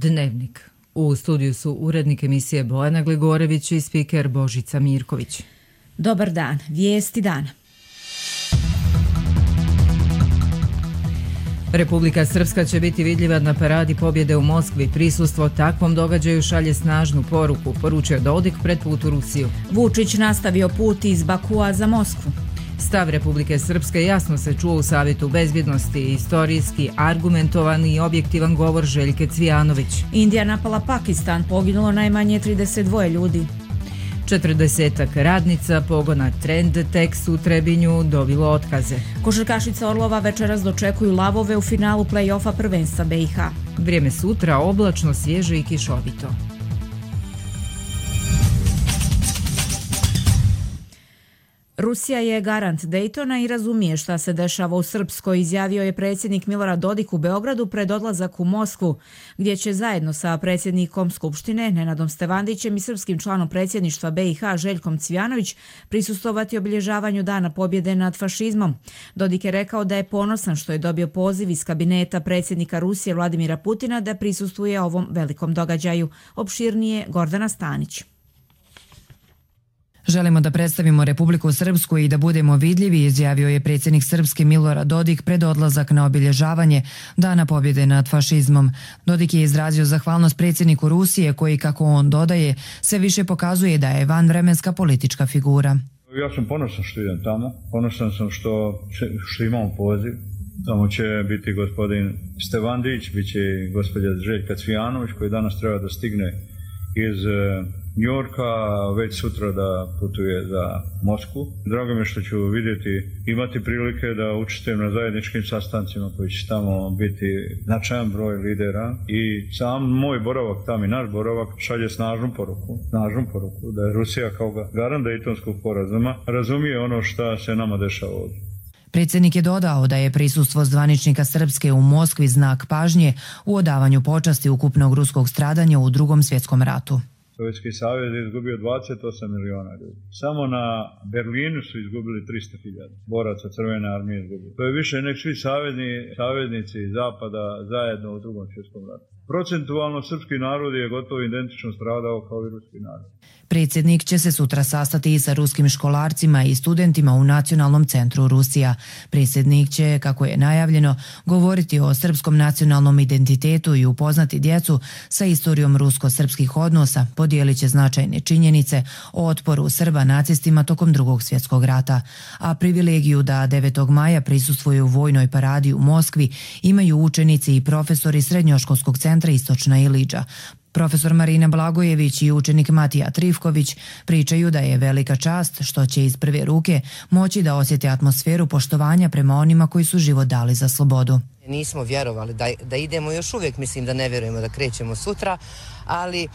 Dnevnik. U studiju su urednik emisije Bojana Glegorević i spiker Božica Mirković. Dobar dan, vijesti dana. Republika Srpska će biti vidljiva na paradi pobjede u Moskvi. Prisustvo takvom događaju šalje snažnu poruku, poručio Dodik pred put u Rusiju. Vučić nastavio put iz Bakua za Moskvu. Stav Republike Srpske jasno se čuo u Savjetu bezbjednosti, istorijski, argumentovan i objektivan govor Željke Cvijanović. Indija napala Pakistan, poginulo najmanje 32 ljudi. 40 radnica pogona Trend Tex u Trebinju dobilo otkaze. Košarkašica Orlova večeras dočekuju lavove u finalu play-offa prvenstva BiH. Vrijeme sutra oblačno, svježe i kišovito. Rusija je garant Daytona i razumije šta se dešava u Srpskoj, izjavio je predsjednik Milorad Dodik u Beogradu pred odlazak u Moskvu, gdje će zajedno sa predsjednikom Skupštine Nenadom Stevandićem i srpskim članom predsjedništva BiH Željkom Cvijanović prisustvovati obilježavanju Dana pobjede nad fašizmom. Dodik je rekao da je ponosan što je dobio poziv iz kabineta predsjednika Rusije Vladimira Putina da prisustvuje ovom velikom događaju. Opširnije Gordana Stanić. Želimo da predstavimo Republiku Srpsku i da budemo vidljivi, izjavio je predsjednik Srpske Milorad Dodik pred odlazak na obilježavanje Dana pobjede nad fašizmom. Dodik je izrazio zahvalnost predsjedniku Rusije koji, kako on dodaje, sve više pokazuje da je vanvremenska politička figura. Ja sam ponosan što idem tamo, ponosan sam što imamo poziv. Tamo će biti gospodin Stevandić, bit će i gospođa Željka Cvijanović koji danas treba da stigne iz Njorka, već sutra da putuje za Moskvu. Drago mi je što ću imati prilike da učestvujem na zajedničkim sastancima koji će tamo biti značajan broj lidera i sam moj boravak tamo i naš boravak šalje snažnu poruku da je Rusija kao garant Dejtonskog sporazuma razumije ono što se nama dešava ovdje. Predsjednik je dodao da je prisustvo zvaničnika Srpske u Moskvi znak pažnje u odavanju počasti ukupnog ruskog stradanja u Drugom svjetskom ratu. Sovjetski savez je izgubio 28 miliona ljudi. Samo na Berlinu su izgubili 300.000 boraca Crvene armije izgubili. To je više nek svi saveznici Zapada zajedno u Drugom svjetskom ratu. Procentualno srpski narod je gotovo identično stradao kao i ruski narod. Predsjednik će se sutra sastati i sa ruskim školarcima i studentima u Nacionalnom centru Rusija. Predsjednik će, kako je najavljeno, govoriti o srpskom nacionalnom identitetu i upoznati djecu sa istorijom rusko-srpskih odnosa, podijelit će značajne činjenice o otporu Srba nacistima tokom Drugog svjetskog rata. A privilegiju da 9. maja prisustvuju vojnoj paradi u Moskvi imaju učenici i profesori Srednjoškolskog centra Istočna Iliđa. Profesor Marina Blagojević i učenik Matija Trivković pričaju da je velika čast što će iz prve ruke moći da osjeti atmosferu poštovanja prema onima koji su život dali za slobodu. Nismo vjerovali da idemo, još uvijek mislim da ne vjerujemo da krećemo sutra, ali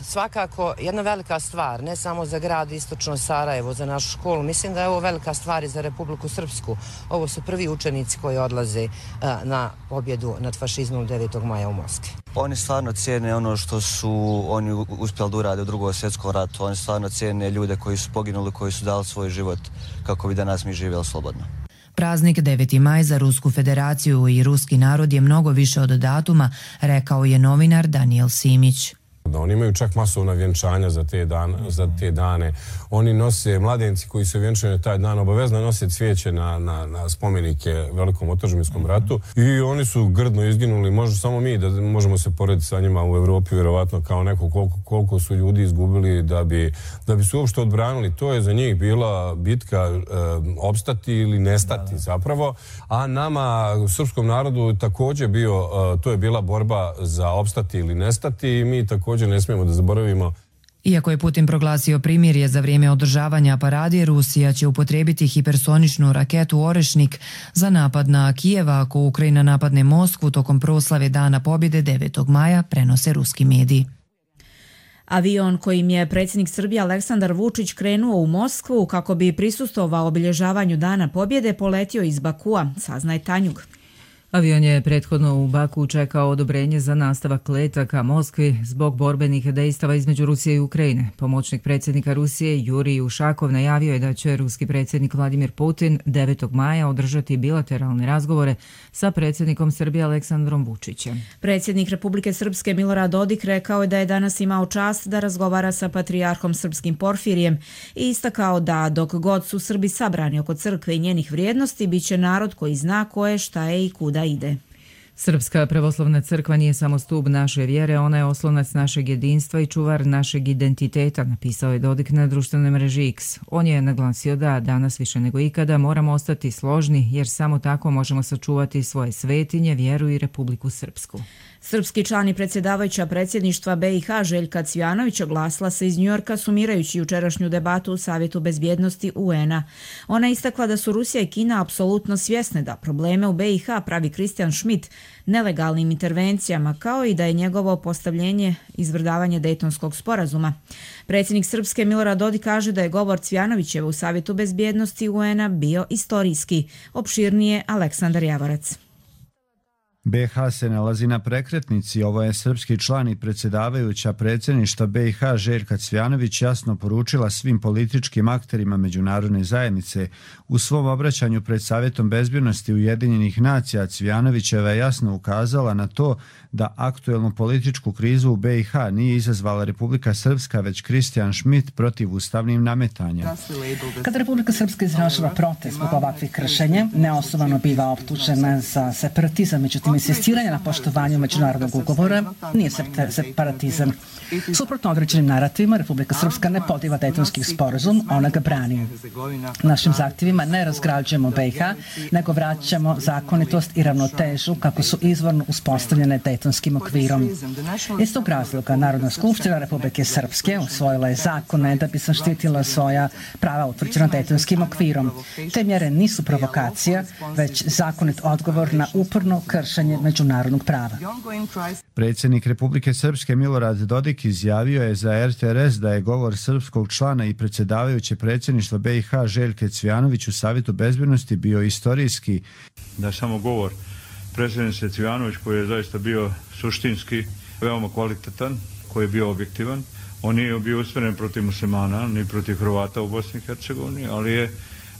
svakako jedna velika stvar, ne samo za grad Istočno Sarajevo, za našu školu, mislim da je ovo velika stvar i za Republiku Srpsku. Ovo su prvi učenici koji odlaze na pobjedu nad fašizmom 9. maja u Moskvi. Oni stvarno cijene ono što su oni uspjeli da urade u Drugom svjetskom ratu, oni stvarno cijene ljude koji su poginuli, koji su dali svoj život kako bi danas mi živjeli slobodno. Praznik 9. maj za Rusku federaciju i ruski narod je mnogo više od datuma, rekao je novinar Daniel Simić. Oni imaju čak masovna vjenčanja za te dane. Oni nose, mladenci koji se vjenčaju na taj dan, obavezno nose cvijeće na spomenike Velikom otadžbinskom ratu i oni su grdno izginuli. Možda samo mi da možemo se porediti sa njima u Evropi, vjerovatno kao neko koliko su ljudi izgubili da bi se uopšte odbranili. To je za njih bila bitka opstati ili nestati zapravo, a nama, u srpskom narodu, također to je bila borba za opstati ili nestati i mi također ne smijemo da zaboravimo. Iako je Putin proglasio primirje za vrijeme održavanja parade, Rusija će upotrijebiti hipersoničnu raketu Orešnik za napad na Kijeva ako Ukrajina napadne Moskvu tokom proslave Dana pobjede 9. maja, prenose ruski mediji. Avion kojim je predsjednik Srbije Aleksandar Vučić krenuo u Moskvu kako bi prisustvovao obilježavanju Dana pobjede poletio iz Bakua, saznaje Tanjug. Avion je prethodno u Baku čekao odobrenje za nastavak leta ka Moskvi zbog borbenih dejstava između Rusije i Ukrajine. Pomoćnik predsjednika Rusije Jurij Ušakov najavio je da će ruski predsjednik Vladimir Putin 9. maja održati bilateralne razgovore sa predsjednikom Srbije Aleksandrom Vučićem. Predsjednik Republike Srpske Milorad Dodik rekao je da je danas imao čast da razgovara sa patrijarhom srpskim Porfirijem i istakao da dok god su Srbi sabrani oko crkve i njenih vrijednosti, bit će narod koji zna ko je, šta je i kuda ide. Srpska pravoslavna crkva nije samo stub naše vjere, ona je oslonac našeg jedinstva i čuvar našeg identiteta, napisao je Dodik na društvenoj mreži X. On je naglasio da danas više nego ikada moramo ostati složni jer samo tako možemo sačuvati svoje svetinje, vjeru i Republiku Srpsku. Srpski član i predsjedavajuća predsjedništva BiH Željka Cvijanović oglasila se iz Njujorka sumirajući jučerašnju debatu u Savjetu bezbjednosti UN-a. Ona istakla da su Rusija i Kina apsolutno svjesne da probleme u BiH pravi Christian Schmidt nelegalnim intervencijama, kao i da je njegovo postavljenje izvrdavanje Dejtonskog sporazuma. Predsjednik Srpske Milorad Dodik kaže da je govor Cvijanovićeva u Savjetu bezbjednosti UN-a bio istorijski. Opširnije Aleksandar Javorac. BiH se nalazi na prekretnici, ovo je srpski član i predsjedavajuća predsjedništva BiH Željka Cvijanović jasno poručila svim političkim akterima međunarodne zajednice. U svom obraćanju pred Savjetom bezbjednosti Ujedinjenih nacija Cvijanovićeva je jasno ukazala na to da aktuelnu političku krizu u BiH nije izazvala Republika Srpska, već Christian Schmidt protiv ustavnim nametanjem. Kada Republika Srpska izražava protest zbog ovakvih kršenja, neosnovano biva optužena za separatizam, međutim insistiranje na poštovanju međunarodnog ugovora nije separatizam. Suprotno određenim narativima, Republika Srpska ne poziva Dejtonski sporazum, ona ga brani. Našim zahtjevima ne razgrađujemo BiH, nego vraćamo zakonitost i ravnotežu kako su izvorno uspostavljene Dejtonskim okvirom. Iz tog razloga Narodna skupština Republike Srpske usvojila je zakone da bi zaštitila svoja prava utvrđena Dejtonskim okvirom. Te mjere nisu provokacija, već zakonit odgovor na uporno kršenje međunarodnog prava. Predsjednik Republike Srpske Milorad Dodik izjavio je za RTRS da je govor srpskog člana i predsjedavajuće predsjedništva BiH Željke Cvijanović u Savjetu bezbjednosti bio istorijski. Da samo govor predsjednice Cvijanović koji je zaista bio suštinski veoma kvalitetan, koji je bio objektivan. On nije bio usmjeren protiv muslimana ni protiv Hrvata u Bosni i Hercegovini, ali je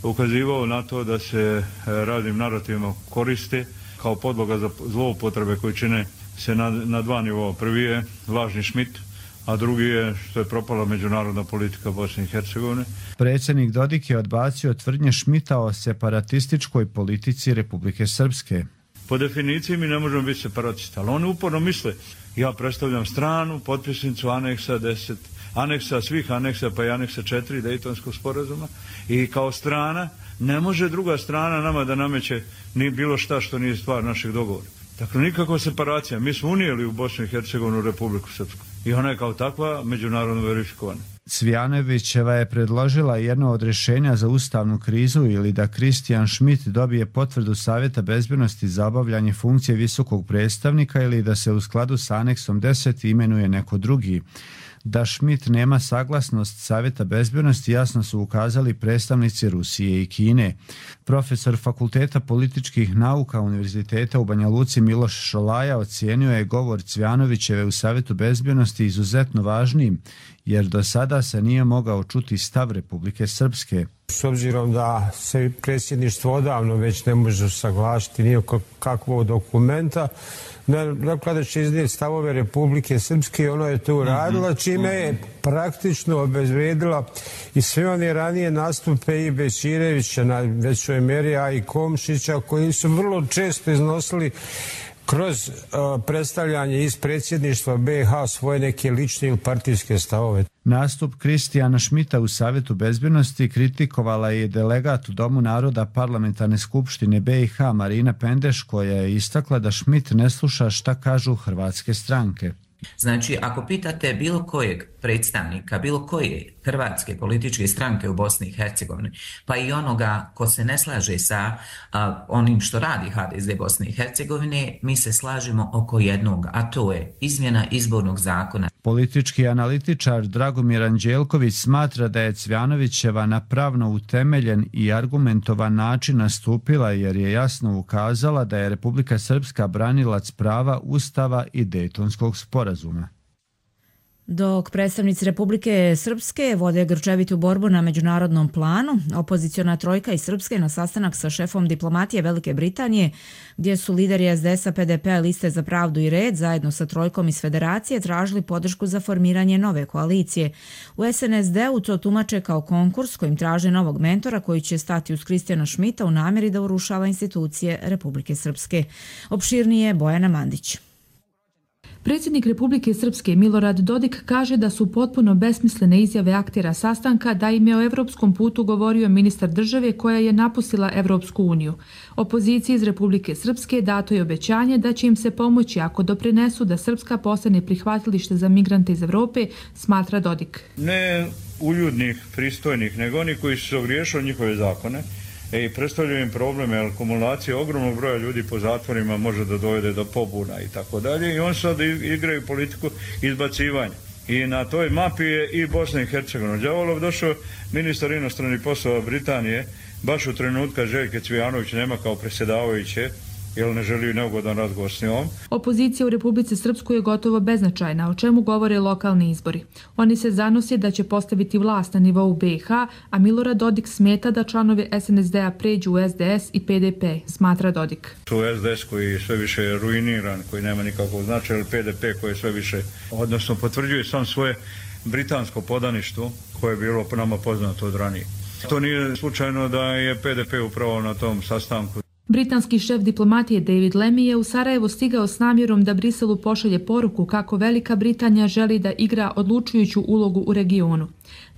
ukazivao na to da se raznim narativima koriste kao podloga za zloupotrebe koje čine se na dva nivoa. Prvi je lažni Schmidt, a drugi je što je propala međunarodna politika Bosne i Hercegovine. Predsjednik Dodik je odbacio tvrdnje Schmidta o separatističkoj politici Republike Srpske. Po definiciji mi ne možemo biti separatisti, ali oni uporno misle ja predstavljam stranu, potpisnicu aneksa 10, aneksa svih aneksa pa i aneksa 4 Dejtonskog sporazuma i kao strana ne može druga strana nama da nameće ni bilo šta što nije stvar našeg dogovora. Dakle, nikakva separacija. Mi smo unijeli u Bosnu i Hercegovinu Republiku Srpsku i ona je kao takva međunarodno verifikovana. Cvijanovićeva je predložila jedno od rješenja za ustavnu krizu ili da Christian Schmidt dobije potvrdu Savjeta bezbjednosti za obavljanje funkcije visokog predstavnika ili da se u skladu s aneksom 10 imenuje neko drugi. Da Schmidt nema saglasnost Savjeta bezbjednosti jasno su ukazali predstavnici Rusije i Kine. Profesor Fakulteta političkih nauka Univerziteta u Banja Luci Miloš Šolaja ocijenio je govor Cvijanovićeve u Savjetu bezbjednosti izuzetno važnim, jer do sada se nije mogao čuti stav Republike Srpske. S obzirom da se predsjedništvo odavno već ne može saglasiti nijako kakvog dokumenta, rekla da će iznijeti stavove Republike Srpske i ono je to uradila, čime je praktično obezvrijedila i sve one ranije nastupe i Bećirevića na većoj meri, a i Komšića, koji su vrlo često iznosili kroz predstavljanje iz predsjedništva BiH svoje neke lične ili partijske stavove. Nastup Christiana Schmidta u Savjetu bezbjednosti kritikovala je delegat u Domu naroda Parlamentarne skupštine BiH Marina Pendeš, koja je istakla da Schmidt ne sluša šta kažu hrvatske stranke. Znači, ako pitate bilo kojeg predstavnika, bilo koje hrvatske političke stranke u Bosni i Hercegovini, pa i onoga ko se ne slaže sa onim što radi HDZ Bosne i Hercegovine, mi se slažemo oko jednog, a to je izmjena izbornog zakona. Politički analitičar Dragomir Anđelković smatra da je Cvjanovićeva na pravno utemeljen i argumentovan način nastupila jer je jasno ukazala da je Republika Srpska branilac prava Ustava i Dejtonskog sporazuma. Dok predstavnici Republike Srpske vode grčevitu borbu na međunarodnom planu, opoziciona trojka iz Srpske na sastanak sa šefom diplomatije Velike Britanije, gdje su lideri SDS-a, PDP-a, Liste za pravdu i red, zajedno sa trojkom iz Federacije, tražili podršku za formiranje nove koalicije. U SNSD-u to tumače kao konkurs kojim traže novog mentora koji će stati uz Kristijana Šmita u namjeri da urušava institucije Republike Srpske. Opširnije Bojana Mandić. Predsjednik Republike Srpske Milorad Dodik kaže da su potpuno besmislene izjave aktera sastanka da im je o evropskom putu govorio ministar države koja je napustila Evropsku uniju. Opoziciji iz Republike Srpske dato je obećanje da će im se pomoći ako doprinesu da Srpska postane prihvatilište za migrante iz Evrope, smatra Dodik. Ne uljudnih, pristojnih, nego oni koji su se ogriješili njihove zakone i predstavljaju im probleme, jer akumulacija ogromnog broja ljudi po zatvorima može da dovede do pobuna i tako dalje. I oni sad igraju politiku izbacivanja. I na toj mapi je i Bosna i Hercegovina. Đavolov došao ministar inostranih poslova Britanije baš u trenutka Željke Cvijanović nema kao predsjedavajuće, jer ne želi neugodan razgovor s njom. Opozicija u Republici Srpskoj je gotovo beznačajna, o čemu govore lokalni izbori. Oni se zanose da će postaviti vlast na nivou BiH, a Milorad Dodik smeta da članovi SNSD-a pređu u SDS i PDP, smatra Dodik. Tu SDS koji je sve više ruiniran, koji nema nikakvog značaja, ili PDP koji je sve više, odnosno potvrđuje sam svoje britansko podaništvo koje je bilo po nama poznato od ranije. To nije slučajno da je PDP upravo na tom sastanku. Britanski šef diplomatije David Lammy je u Sarajevo stigao s namjerom da Briselu pošalje poruku kako Velika Britanija želi da igra odlučujuću ulogu u regionu.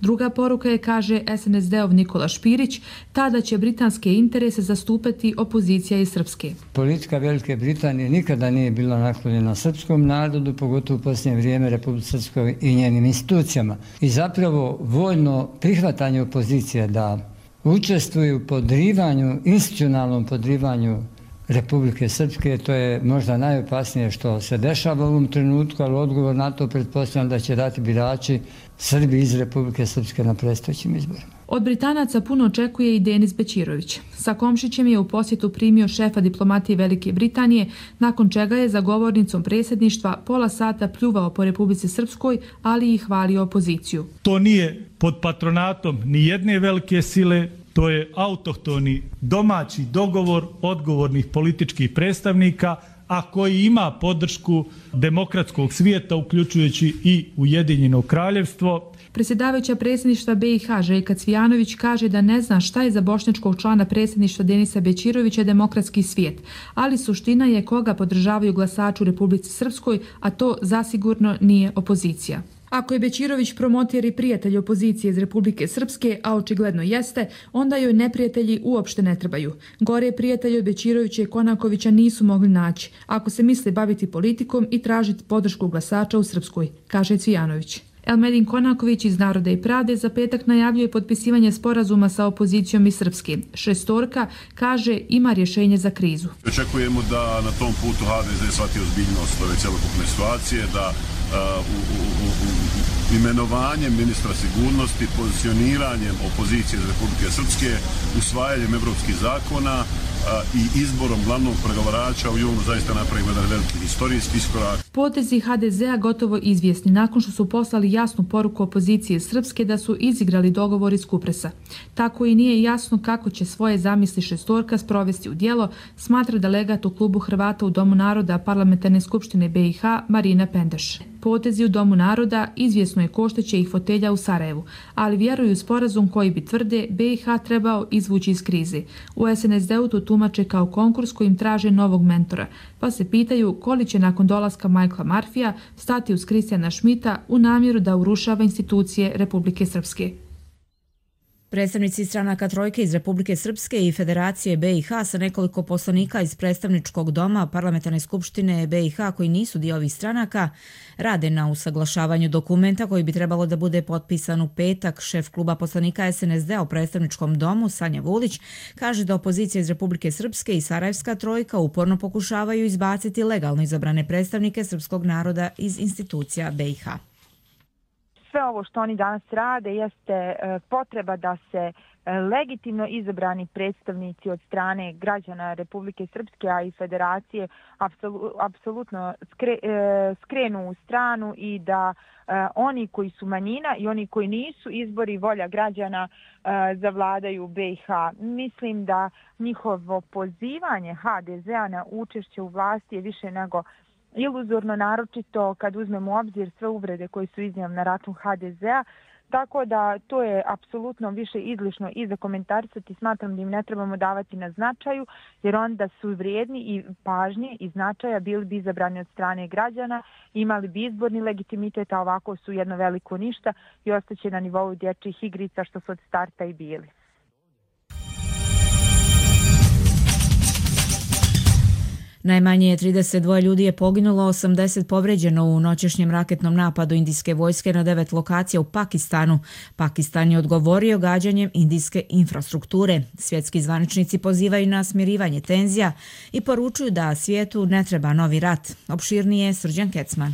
Druga poruka je, kaže SNSD-ov Nikola Špirić, tada će britanske interese zastupati opozicija iz Srpske. Politika Velike Britanije nikada nije bila naklonjena srpskom narodu, pogotovo u posljednje vrijeme Republike Srpskoj i njenim institucijama. I zapravo voljno prihvatanje opozicije da učestvuju u podrivanju, institucionalnom podrivanju Republike Srpske, to je možda najopasnije što se dešava u ovom trenutku, ali odgovor na to pretpostavljam da će dati birači Srbi iz Republike Srpske na predstojećim izborima. Od Britanaca puno očekuje i Denis Bećirović. Sa Komšićem je u posjetu primio šefa diplomatije Velike Britanije, nakon čega je za govornicom predsjedništva pola sata pljuvao po Republici Srpskoj, ali i hvalio opoziciju. To nije pod patronatom ni jedne velike sile, to je autohtoni domaći dogovor odgovornih političkih predstavnika, a koji ima podršku demokratskog svijeta, uključujući i Ujedinjeno kraljevstvo. Predsjedavajuća predsjedništva BiH Željka Cvijanović kaže da ne zna šta je za bošnjačkog člana predsjedništva Denisa Bećirovića demokratski svijet, ali suština je koga podržavaju glasači u Republici Srpskoj, a to zasigurno nije opozicija. Ako je Bećirović promoter i prijatelj opozicije iz Republike Srpske, a očigledno jeste, onda joj neprijatelji uopšte ne trebaju. Gore prijatelji od Bećirovića i Konakovića nisu mogli naći, ako se misle baviti politikom i tražiti podršku glasača u Srpskoj, kaže Cvijanović. Elmedin Konaković iz Naroda i pravde za petak najavljuje potpisivanje sporazuma sa opozicijom iz Srpske. Šestorka kaže ima rješenje za krizu. Očekujemo da na tom putu HDZ shvati ozbiljnost ove cjelokupne situacije, da imenovanjem ministra sigurnosti, pozicioniranjem opozicije iz Republike Srpske, usvajanjem evropskih zakona i izborom glavnog pregovarača u junu zaista napravimo jedan veliki historijski iskorak. Potezi HDZ-a gotovo izvjesni nakon što su poslali jasnu poruku opozicije Srpske da su izigrali dogovor iz Kupresa. Tako i nije jasno kako će svoje zamisli šestorka sprovesti u djelo, smatra delegat u klubu Hrvata u Domu naroda Parlamentarne skupštine BiH Marina Pendeš. Potezi u Domu naroda izvjesno je košteće ih fotelja u Sarajevu, ali vjeruju u sporazum koji bi, tvrde, BiH trebao izvući iz krize. U SNSD-u to tumače kao konkurs kojim traže novog mentora, pa se pitaju koliko će nakon dolaska Michaela Murphyja stati uz Kristijana Šmita u namjeru da urušava institucije Republike Srpske. Predstavnici stranaka trojke iz Republike Srpske i Federacije BiH sa nekoliko poslanika iz predstavničkog doma Parlamentarne skupštine BiH koji nisu dio ovih stranaka rade na usaglašavanju dokumenta koji bi trebalo da bude potpisan u petak. Šef kluba poslanika SNSD-a u predstavničkom domu Sanja Vulić kaže da opozicija iz Republike Srpske i Sarajevska trojka uporno pokušavaju izbaciti legalno izabrane predstavnike srpskog naroda iz institucija BiH. sve ovo što oni danas rade jeste potreba da se legitimno izabrani predstavnici od strane građana Republike Srpske, a i Federacije apsolutno skrenu u stranu i da oni koji su manjina i oni koji nisu izbori volja građana zavladaju BiH. Mislim da njihovo pozivanje HDZ-a na učešće u vlasti je više nego iluzorno, naročito kad uzmemo u obzir sve uvrede koje su iznijeli na račun HDZ-a. Tako da to je apsolutno više izlišno i za komentarisati. Smatram da im ne trebamo davati na značaju, jer onda su vrijedni i pažnje i značaja, bili bi izabrani od strane građana, imali bi izborni legitimitet, a ovako su jedno veliko ništa i ostaće na nivou dječjih igrica što su od starta i bili. Najmanje 32 ljudi je poginulo, 80 povređeno u noćešnjem raketnom napadu indijske vojske na 9 lokacija u Pakistanu. Pakistan je odgovorio gađanjem indijske infrastrukture. Svjetski zvaničnici pozivaju na smirivanje tenzija i poručuju da svijetu ne treba novi rat. Opširnije Srđan Kecman.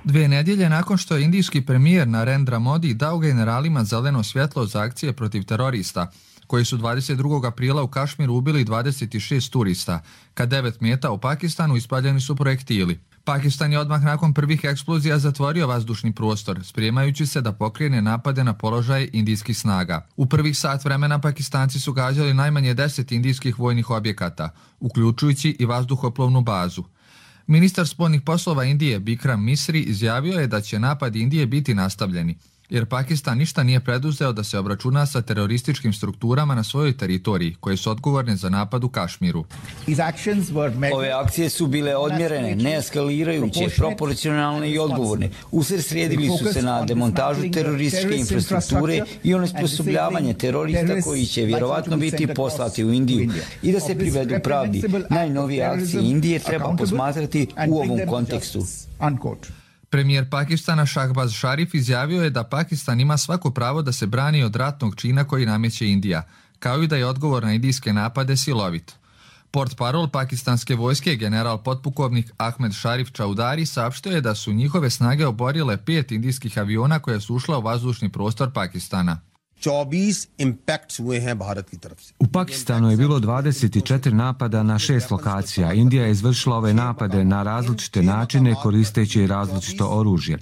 2 nedjelje nakon što je indijski premijer Narendra Modi dao generalima zeleno svjetlo za akcije protiv terorista, koji su 22. aprila u Kašmiru ubili 26 turista, kad 9 mjesta u Pakistanu ispaljeni su projektili. Pakistan je odmah nakon prvih eksplozija zatvorio vazdušni prostor, spremajući se da pokrene napade na položaje indijskih snaga. U prvih sat vremena Pakistanci su gađali najmanje 10 indijskih vojnih objekata, uključujući i vazduhoplovnu bazu. Ministar spoljnih poslova Indije Bikram Misri izjavio je da će napad Indije biti nastavljeni, jer Pakistan ništa nije preduzeo da se obračuna sa terorističkim strukturama na svojoj teritoriji, koje su odgovorne za napad u Kašmiru. Ove akcije su bile odmjerene, neeskalirajuće, proporcionalne i odgovorne. Usredsredili su se na demontažu terorističke infrastrukture i onesposobljavanje terorista koji će vjerovatno biti poslati u Indiju. I da se privedu pravdi, najnovije akcije Indije treba posmatrati u ovom kontekstu. Premijer Pakistana Shahbaz Sharif izjavio je da Pakistan ima svako pravo da se brani od ratnog čina koji nameće Indija, kao i da je odgovor na indijske napade silovit. Portparol pakistanske vojske, general potpukovnik Ahmed Sharif Chaudhary, saopštio je da su njihove snage oborile 5 indijskih aviona koje su ušla u vazdušni prostor Pakistana. U Pakistanu je bilo 24 napada na 6 lokacija. Indija je izvršila ove napade na različite načine koristeći različito oružje.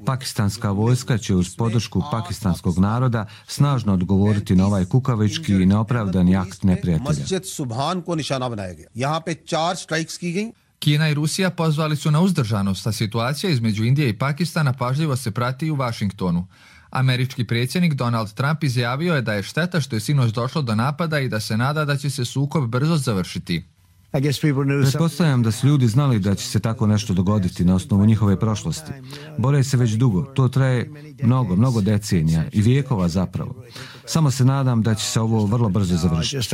Pakistanska vojska će uz podršku pakistanskog naroda snažno odgovoriti na ovaj kukavički i neopravdani akt neprijatelja. Kina i Rusija pozvali su na uzdržanost, a situacija između Indije i Pakistana pažljivo se prati u Vašingtonu. Američki predsjednik Donald Trump izjavio je da je šteta što je sinoć došlo do napada i da se nada da će se sukob brzo završiti. Pretpostavljam da su ljudi znali da će se tako nešto dogoditi na osnovu njihove prošlosti. Bore se već dugo, to traje mnogo decenija i vijekova zapravo. Samo se nadam da će se ovo vrlo brzo završiti.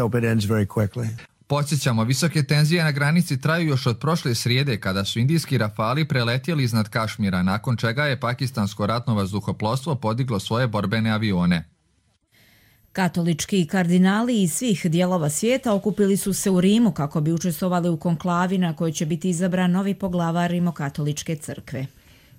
Podsjećamo, visoke tenzije na granici traju još od prošle srijede kada su indijski rafali preletjeli iznad Kašmira, nakon čega je pakistansko ratno vazduhoplovstvo podiglo svoje borbene avione. Katolički kardinali iz svih dijelova svijeta okupili su se u Rimu kako bi učestvovali u konklavi na kojoj će biti izabran novi poglavar Rimokatoličke crkve.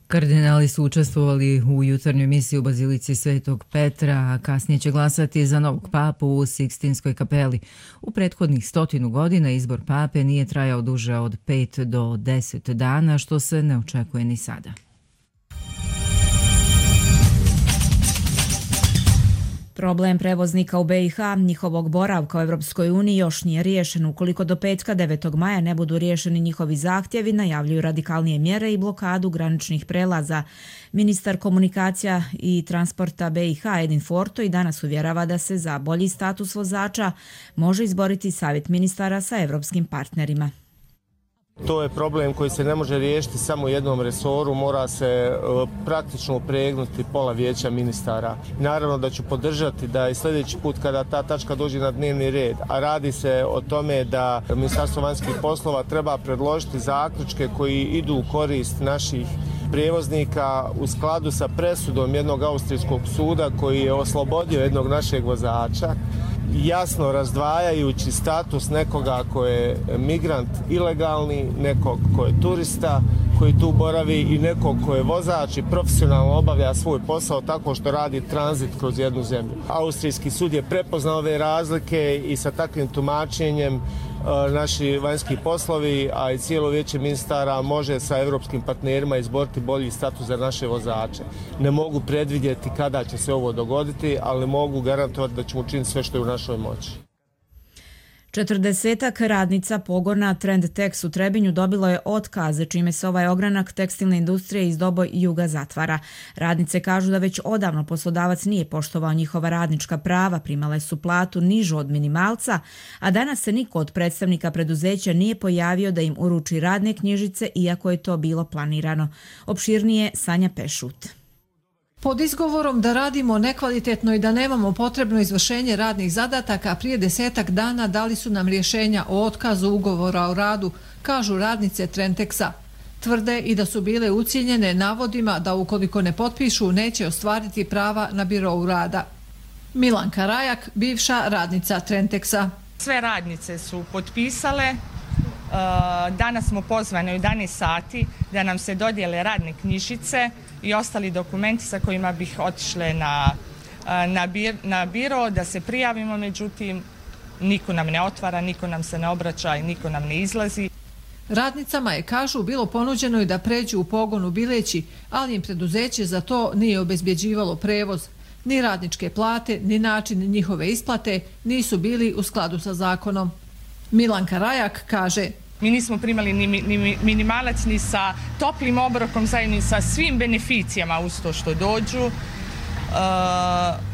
Kardinali su učestvovali u jutarnjoj misiji u Bazilici Svetog Petra, a kasnije će glasati za novog papu u Sikstinskoj kapeli. U prethodnih 100 godina izbor pape nije trajao duže od 5 do 10 dana, što se ne očekuje ni sada. Problem prevoznika u BiH, njihovog boravka u Evropskoj uniji još nije riješen. Ukoliko do petka 9. maja ne budu riješeni njihovi zahtjevi, najavljuju radikalnije mjere i blokadu graničnih prelaza. Ministar komunikacija i transporta BiH Edin Forto i danas uvjerava da se za bolji status vozača može izboriti savjet ministara sa evropskim partnerima. To je problem koji se ne može riješiti samo u jednom resoru, mora se praktično upregnuti pola vijeća ministara. Naravno da ću podržati da i sljedeći put kada ta tačka dođe na dnevni red, a radi se o tome da Ministarstvo vanjskih poslova treba predložiti zaključke koji idu u korist naših prijevoznika u skladu sa presudom jednog austrijskog suda koji je oslobodio jednog našeg vozača, jasno razdvajajući status nekoga ko je migrant ilegalni, nekog ko je turista koji tu boravi i nekog ko je vozač i profesionalno obavlja svoj posao tako što radi tranzit kroz jednu zemlju. Austrijski sud je prepoznao ove razlike i sa takvim tumačenjem naši vanjski poslovi, a i cijelo vijeće ministara može sa evropskim partnerima izboriti bolji status za naše vozače. Ne mogu predvidjeti kada će se ovo dogoditi, ali mogu garantovati da ćemo učiniti sve što je u našoj moći. 40-ak radnica pogona Trendtex u Trebinju dobilo je otkaze, čime se ovaj ogranak tekstilne industrije iz Doboj juga zatvara. Radnice kažu da već odavno poslodavac nije poštovao njihova radnička prava, primale su platu nižu od minimalca, a danas se niko od predstavnika preduzeća nije pojavio da im uruči radne knjižice, iako je to bilo planirano. Opširnije Sanja Pešut. Pod izgovorom da radimo nekvalitetno i da nemamo potrebno izvršenje radnih zadataka, prije 10 dana dali su nam rješenja o otkazu ugovora o radu, kažu radnice Trendtexa. Tvrde i da su bile ucijenjene navodima da ukoliko ne potpišu neće ostvariti prava na birou rada. Milanka Rajak, bivša radnica Trendtexa. Sve radnice su potpisale. Danas smo pozvani u 11 sati da nam se dodijele radne knjižice i ostali dokumenti sa kojima bih otišle na biro da se prijavimo, međutim niko nam ne otvara, niko nam se ne obraća i niko nam ne izlazi. Radnicama je, kažu, bilo ponuđeno i da pređu u pogon u Bileći, ali im preduzeće za to nije obezbjeđivalo prevoz. Ni radničke plate, ni način njihove isplate nisu bili u skladu sa zakonom. Milanka Rajak kaže: mi nismo primali ni minimalac ni sa toplim obrokom, zajedno sa svim beneficijama uz to što dođu.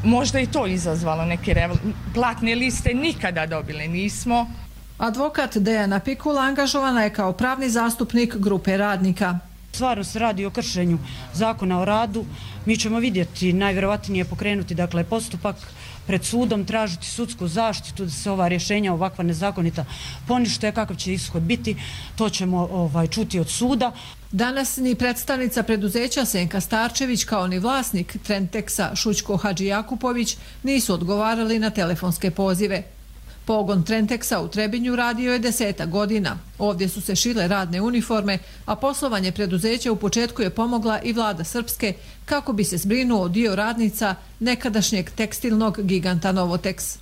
Možda je to izazvalo neke platne liste, nikada dobile nismo. Advokat Dejana Pikula angažovana je kao pravni zastupnik grupe radnika. Stvarno se radi o kršenju zakona o radu. Mi ćemo vidjeti, najvjerovatnije pokrenuti postupak pred sudom, tražiti sudsku zaštitu da se ova rješenja ovakva nezakonita ponište. Kakav će ishod biti, to ćemo čuti od suda. Danas ni predstavnica preduzeća Senka Starčević kao ni vlasnik Trendtexa Šućko Hadžijakupović nisu odgovarali na telefonske pozive. Pogon Trendtexa u Trebinju radio je 10 godina. Ovdje su se šile radne uniforme, a poslovanje preduzeća u početku je pomogla i vlada Srpske kako bi se zbrinuo dio radnica nekadašnjeg tekstilnog giganta Novoteks.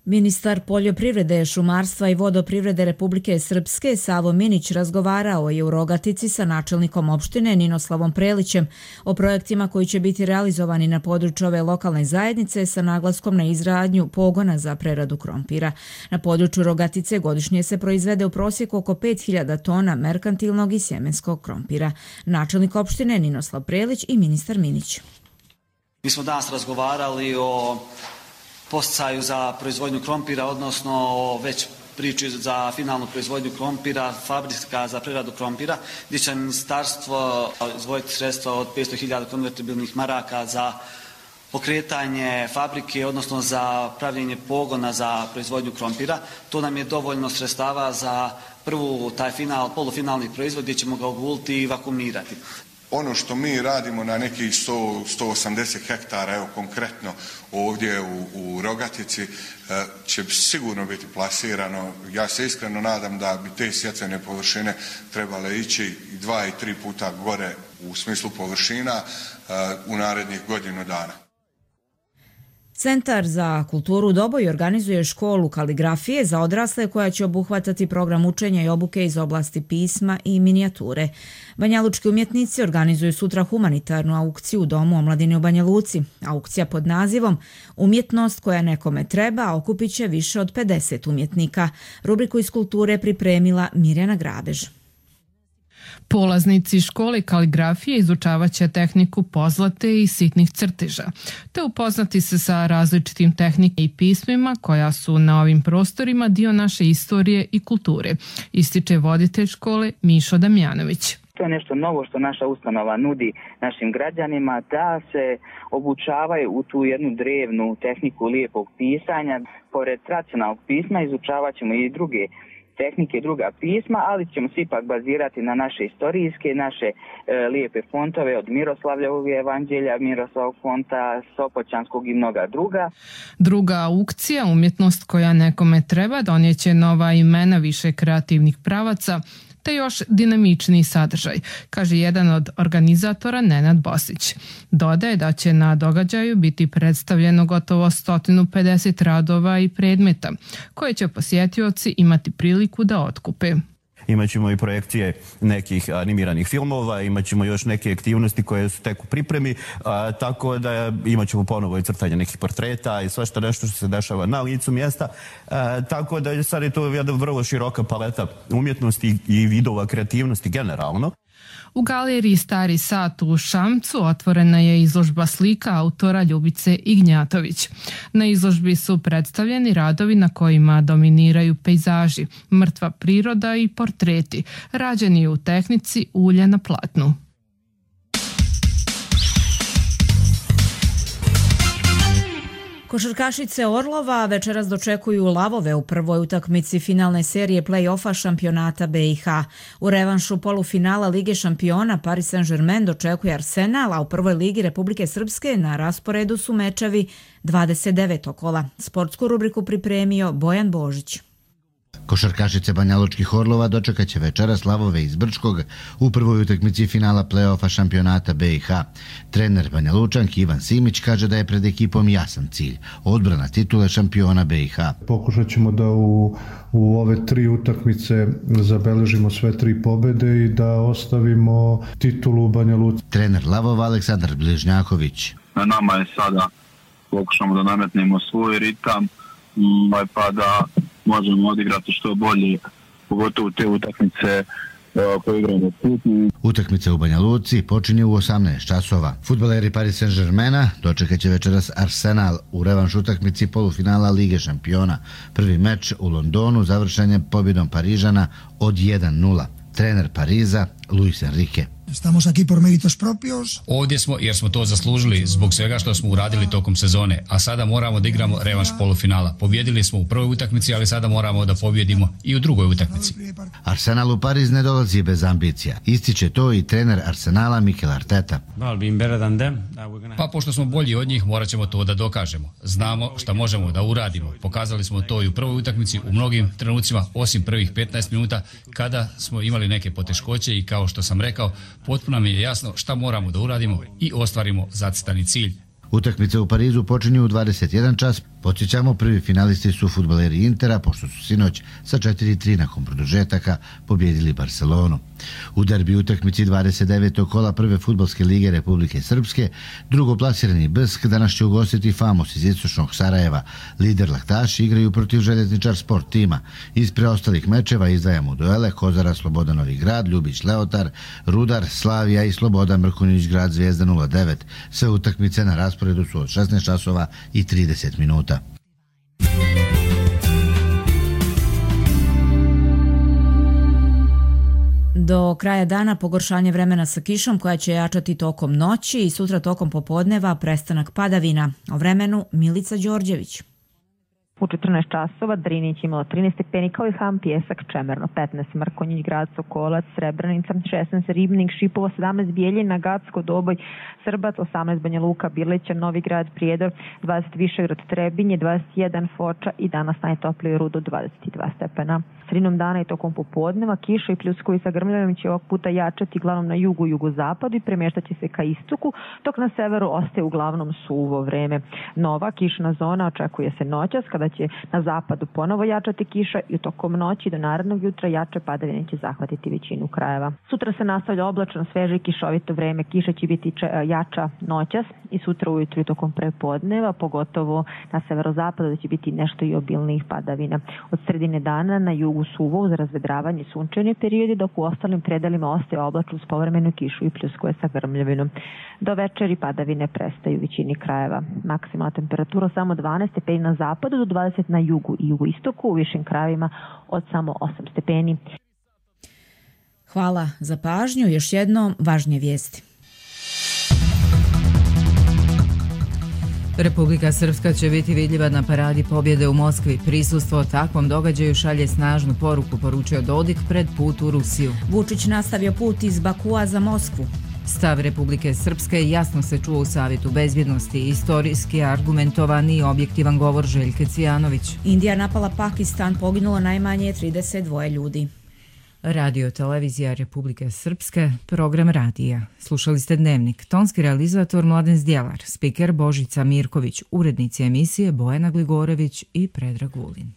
Ministar poljoprivrede, šumarstva i vodoprivrede Republike Srpske Savo Minić razgovarao je u Rogatici sa načelnikom opštine Ninoslavom Prelićem o projektima koji će biti realizovani na području ove lokalne zajednice sa naglaskom na izgradnju pogona za preradu krompira. Na području Rogatice godišnje se proizvede u prosjeku oko 5000 tona merkantilnog i sjemenskog krompira. Načelnik opštine Ninoslav Prelić i ministar Minić. Mi smo danas razgovarali o posticaju za proizvodnju krompira, odnosno već priči za finalnu proizvodnju krompira, fabrika za preradu krompira, gdje će ministarstvo izdvojiti sredstva od 500.000 konvertibilnih maraka za pokretanje fabrike, odnosno za pravljenje pogona za proizvodnju krompira. To nam je dovoljno sredstava za prvu taj polufinalni proizvod gdje ćemo ga oguliti i vakuumirati. Ono što mi radimo na nekih 180 hektara, evo konkretno ovdje u Rogatici, će sigurno biti plasirano. Ja se iskreno nadam da bi te sjetvene površine trebale ići 2 i 3 puta gore u smislu površina u narednih godinu dana. Centar za kulturu Doboj organizuje školu kaligrafije za odrasle koja će obuhvatati program učenja i obuke iz oblasti pisma i minijature. Banjalučki umjetnici organizuju sutra humanitarnu aukciju u Domu omladine u Banja Luci. Aukcija pod nazivom Umjetnost koja nekome treba okupit će više od 50 umjetnika. Rubriku iz kulture pripremila Mirjana Grabež. Polaznici škole kaligrafije izučavat će tehniku pozlate i sitnih crteža, te upoznati se sa različitim tehnikama i pismima koja su na ovim prostorima dio naše istorije i kulture, ističe voditelj škole Mišo Damjanović. To je nešto novo što naša ustanova nudi našim građanima, da se obučavaju u tu jednu drevnu tehniku lijepog pisanja. Pored tradicionalnog pisma izučavat ćemo i druge tehnike, druga pisma, ali ćemo se ipak bazirati na naše istorijske, naše lijepe fontove od Miroslavljevog evanđelja, Miroslavog fonta, Sopoćanskog i mnoga druga. Druga aukcija, Umjetnost koja nekome treba, donijeće nova imena više kreativnih pravaca, te još dinamičniji sadržaj, kaže jedan od organizatora Nenad Bosić. Dodaje da će na događaju biti predstavljeno gotovo 150 radova i predmeta, koje će posjetioci imati priliku da otkupe. Imaćemo i projekcije nekih animiranih filmova, imaćemo još neke aktivnosti koje su tek u pripremi, tako da imaćemo ponovo i crtanje nekih portreta i svašta nešto što se dešava na licu mjesta, tako da sad je to jedna vrlo široka paleta umjetnosti i vidova kreativnosti generalno. U galeriji Stari sat u Šamcu otvorena je izložba slika autora Ljubice Ignjatović. Na izložbi su predstavljeni radovi na kojima dominiraju pejzaži, mrtva priroda i portreti, rađeni u tehnici ulja na platnu. Košarkašice Orlova večeras dočekuju lavove u prvoj utakmici finalne serije play-offa šampionata BiH. U revanšu polufinala Lige šampiona Paris Saint-Germain dočekuje Arsenal, a u prvoj ligi Republike Srpske na rasporedu su mečevi 29. kola. Sportsku rubriku pripremio Bojan Božić. Košarkašice banjalučkih Orlova dočekat će večeras lavove iz Brčkog u prvoj utakmici finala play-offa šampionata BiH. Trener Banjalučanki Ivan Simić kaže da je pred ekipom jasan cilj – odbrana titule šampiona BiH. Pokušat ćemo da u ove 3 utakmice zabeležimo sve 3 pobede i da ostavimo titulu u Banja Luci. Trener lavova Aleksandar Bližnjaković. Na nama je sada pokušamo da nametnemo svoj ritam pa da možemo odigrati što bolje, pogotovo te utakmice koje igramo putni. Utakmica u Banja Luci počinje u 18 časova. Fudbaleri Paris Saint-Germaina dočekat će večeras Arsenal u revanš utakmici polufinala Lige šampiona. Prvi meč u Londonu završen je pobjedom Parižana od 1-0. Trener Pariza Luis Enrique. Estamos aquí por méritos propios. Ovdje smo jer smo to zaslužili zbog svega što smo uradili tokom sezone, a sada moramo da igramo revanš polufinala. Pobjedili smo u prvoj utakmici, ali sada moramo da pobjedimo i u drugoj utakmici. Arsenal u Pariz ne dolazi bez ambicija. Ističe to i trener Arsenala Mikel Arteta. Pa pošto smo bolji od njih, morat ćemo to da dokažemo. Znamo šta možemo da uradimo. Pokazali smo to i u prvoj utakmici u mnogim trenucima, osim prvih 15 minuta kada smo imali neke poteškoće i kao što sam rekao, potpuno mi je jasno šta moramo da uradimo i ostvarimo zacrtani cilj. Utakmice u Parizu počinju u 21 čas. Podsjećamo, prvi finalisti su fudbaleri Intera, pošto su sinoć sa 4-3 nakon produžetaka pobjedili Barcelonu. U derbi utakmici 29. kola prve fudbalske lige Republike Srpske, drugoplasirani BSK danas će ugostiti Famos iz istočnog Sarajeva. Lider Laktaši igraju protiv Željezničar Sport tima. Iz preostalih mečeva izdvajamo duele Kozara Sloboda Novi Grad, Ljubić Leotar, Rudar, Slavija i Sloboda Mrkonjić Grad Zvijezda 09. Sve utakmice na rasporedu su od 16 časova i 30 minuta. Do kraja dana pogoršanje vremena sa kišom koja će jačati tokom noći i sutra tokom popodneva prestanak padavina. O vremenu Milica Đorđević. U 14 časova Drinić imalo 13 stepeni, kao i Ham, Pjesak, Čemerno 15, Mrkonjić Grad, Sokolac, Srebrenica 16, Ribnik, Šipovo 17, Bijeljina, Gacko, Doboj, Srbac 18, Banja Luka, Birleća, Novi Grad, Prijedor 20, Višegrad, Trebinje 21, Foča i danas najtoplije Rudo 22 stepena. Sredinom dana i tokom popodneva kiša i pljuskovi sa grmljavim će ovog puta jačati uglavnom na jugu i jugozapadu i premještat će se ka istoku, dok na severu ostaje uglavnom suvo vreme. Nova kišna zona očekuje se noćas, kada će na zapadu ponovo jačati kiša i tokom noći do narednog jutra jače padavine će zahvatiti većinu krajeva. Sutra se nastavlja oblačno, sveže i kišovito vreme. Kiša će biti jača noćas i sutra ujutru i tokom prepodneva, pogotovo na severozapadu da će biti nešto i obilnijih padavina. Od sredine dana na jugu suvo uz razvedravanje sunčani periodi, dok u ostalim predelima ostaje oblačno uz povremenu kišu i pljuskuje sa grmljavinom. Do večeri padavine prestaju u većini krajeva. Maksimalna temperatura samo 12 stepeni na zapadu do 20 na jugu i jugoistoku, u višim krajevima od samo 8 stepeni. Hvala za pažnju. Još jednom važnije vijesti. Republika Srpska će biti vidljiva na paradi pobjede u Moskvi. Prisustvo takvom događaju šalje snažnu poruku, poručio Dodik pred put u Rusiju. Vučić nastavio put iz Bakua za Moskvu. Stav Republike Srpske jasno se čuo u Savjetu bezbjednosti, istorijski argumentovan i objektivan govor Željke Cvijanović. Indija napala Pakistan, poginulo najmanje 32 ljudi. Radio Televizija Republike Srpske, program radija. Slušali ste Dnevnik, tonski realizator Mladen Zdjelar, spiker Božica Mirković, urednici emisije Bojana Gligorević i Predrag Vulin.